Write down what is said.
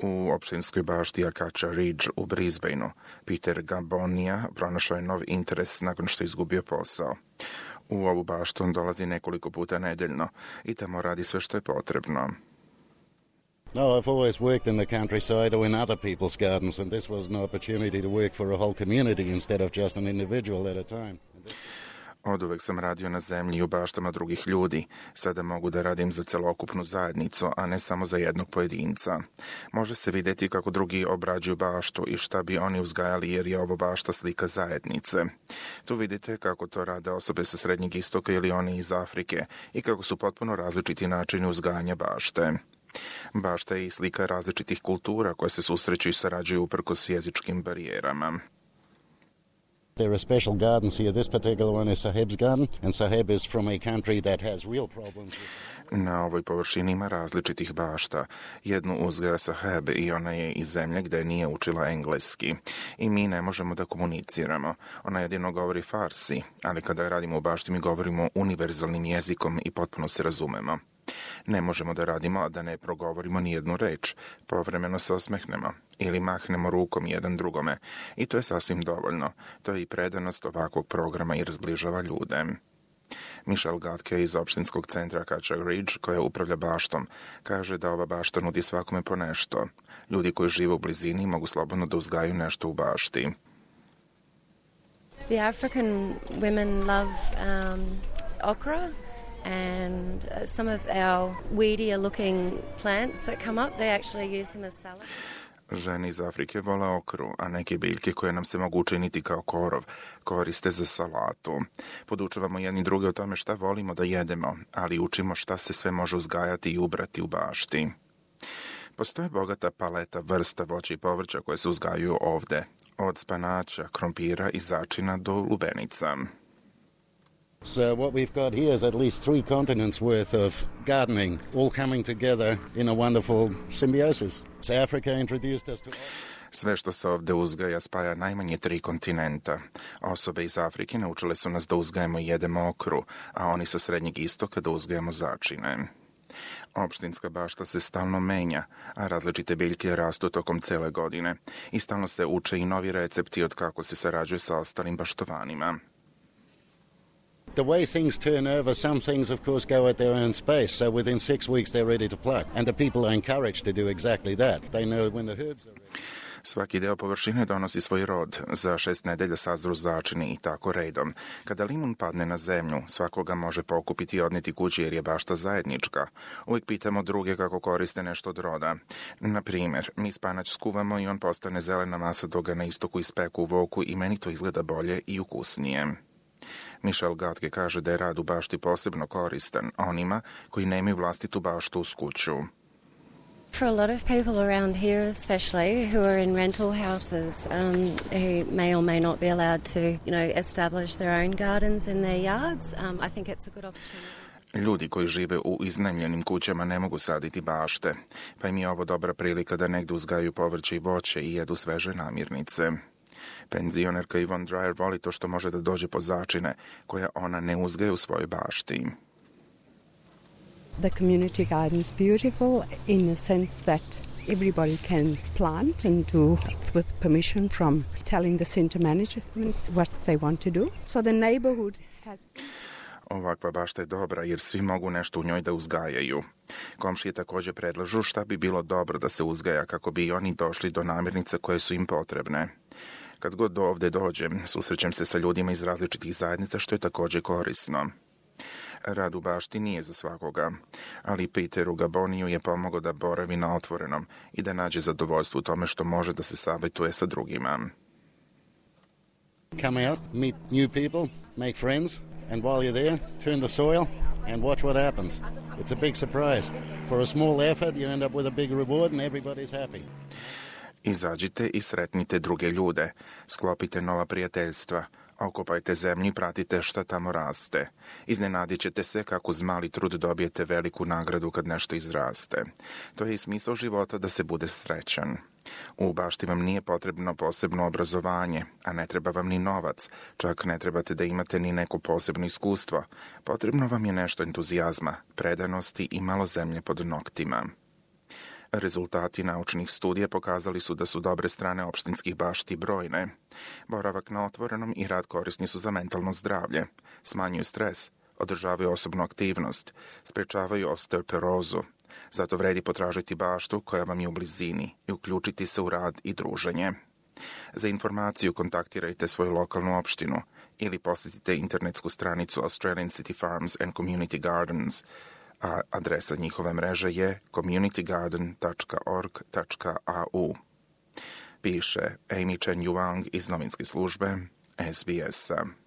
U opštinskoj bašti Acacia Ridge u Brisbaneu Peter Gabonija pronašao je nov interes nakon što je izgubio posao. U ovu baštu on dolazi nekoliko puta nedeljno i tamo radi sve što je potrebno. No, I've always worked in the countryside or in other people's gardens, and this was an opportunity to work for a whole community instead of just an individual at a time. Oduvek sam radio na zemlji i u baštama drugih ljudi. Sada mogu da radim za celokupnu zajednicu, a ne samo za jednog pojedinca. Može se vidjeti kako drugi obrađuju baštu i šta bi oni uzgajali, jer je ovo bašta slika zajednice. Tu vidite kako to rade osobe sa Srednjeg istoka ili oni iz Afrike i kako su potpuno različiti načini uzgajanja bašte. Bašta je i slika različitih kultura koje se susreću i sarađuju uprkos jezičkim barijerama. There are special gardens here. This particular one is Saheb's garden, and Saheb is from a country that has real problems. Na ovoj površini ima različitih bašta. Jednu uzgaja Saheb i ona je iz zemlje gde nije učila engleski. I mi ne možemo da komuniciramo. Ona jedino govori farsi, ali kada radimo u bašti mi govorimo univerzalnim jezikom i potpuno se razumemo. Ne možemo da radimo, a da ne progovorimo ni jednu reč. Povremeno se osmehnemo ili mahnemo rukom jedan drugome. I to je sasvim dovoljno. To je i predanost ovakvog programa jer zbližava ljude. Michelle Gatke iz opštinskog centra Acacia Ridge, koja upravlja baštom, kaže da ova bašta nudi svakome po nešto. Ljudi koji žive u blizini mogu slobodno da uzgajaju nešto u bašti. The African women love okra. And some of our weedier looking plants that come up, they actually use them as salad. Žene iz Afrike vole okru, a neke biljke koje nam se mogu učiniti kao korov koriste za salatu. Podučavamo jedni druge o tome šta volimo da jedemo, ali učimo šta se sve može uzgajati i ubrati u bašti. Postoje bogata paleta vrsta voća i povrća koje se uzgajaju ovde, od spanaća, krompira i začina do lubenica. So what we've got here is at least 3 continents worth of gardening, all coming together in a wonderful symbiosis. So Africa introduced us to... Sve što se ovde uzgaja spaja najmanje 3 kontinenta. Osobe iz Afrike naučile su nas da uzgajemo i jedemo okru, a oni sa Srednjeg istoka da uzgajamo začine. Opštinska bašta se stalno menja, a različite biljke rastu tokom cele godine i stalno se uče i novi recepti od kako se sarađuje sa ostalim baštovanima. The way things turn over, some things of course go at their own space, so within 6 weeks they're ready to pluck, and the people are encouraged to do exactly that. They know when the herbs are ready. Svaki deo površine donosi svoj rod. Za 6 nedelja sazru začini i tako redom. Kada limun padne na zemlju, svakoga može pokupiti i odneti kući jer je bašta zajednička. Uvijek pitamo druge kako koriste nešto od roda. Na primjer, mi spanać skuvamo i on postane zelena masa dok ga na istoku ispeku u voku i meni to izgleda bolje i ukusnije. Michelle Gatke kaže da je rad u bašti posebno koristan onima koji nemaju vlastitu baštu uz kuću. For a lot of people around here especially who are in rental houses who may or may not be allowed to, establish their own gardens in their yards, I think it's a good opportunity. Ljudi koji žive u iznajmljenim kućama ne mogu saditi bašte, pa im je ovo dobra prilika da negde uzgajaju povrće i voće i jedu sveže namirnice. Penzionerka Yvonne Dreyer voli to što može da dođe po začine koja ona ne uzgaja u svojoj bašti. The community garden is beautiful in the sense that everybody can plant and do with permission from telling the center management what they want to do. So the neighborhood has... Ovakva bašta je dobra jer svi mogu nešto u njoj da uzgajaju. Komšije također predlažu šta bi bilo dobro da se uzgaja kako bi i oni došli do namirnica koje su im potrebne. Kad god do ovde dođem, susrećem se sa ljudima iz različitih zajednica što je također korisno. Rad u bašti nije za svakoga, ali Peteru Gaboniju je pomogao da boravi na otvorenom i da nađe zadovoljstvo u tome što može da se savjetuje sa drugima. Come out, meet new people, make friends, and while you're there, turn the soil and watch what happens. It's a big surprise. For a small effort, you end up with a big reward and everybody's happy. Izađite i sretnite druge ljude, sklopite nova prijateljstva, okopajte zemlju i pratite šta tamo raste. Iznenadit ćete se kako uz mali trud dobijete veliku nagradu kad nešto izraste. To je i smisao života da se bude srećan. U bašti vam nije potrebno posebno obrazovanje, a ne treba vam ni novac, čak ne trebate da imate ni neko posebno iskustvo. Potrebno vam je nešto entuzijazma, predanosti i malo zemlje pod noktima. Rezultati naučnih studija pokazali su da su dobre strane opštinskih bašti brojne. Boravak na otvorenom i rad korisni su za mentalno zdravlje, smanjuju stres, održavaju osobnu aktivnost, sprečavaju osteoporozu. Zato vredi potražiti baštu koja vam je u blizini i uključiti se u rad i druženje. Za informaciju kontaktirajte svoju lokalnu opštinu ili posjetite internetsku stranicu Australian City Farms and Community Gardens, a adresa njihove mreže je communitygarden.org.au. Piše Amy Chen Yuang iz novinske službe SBS-a.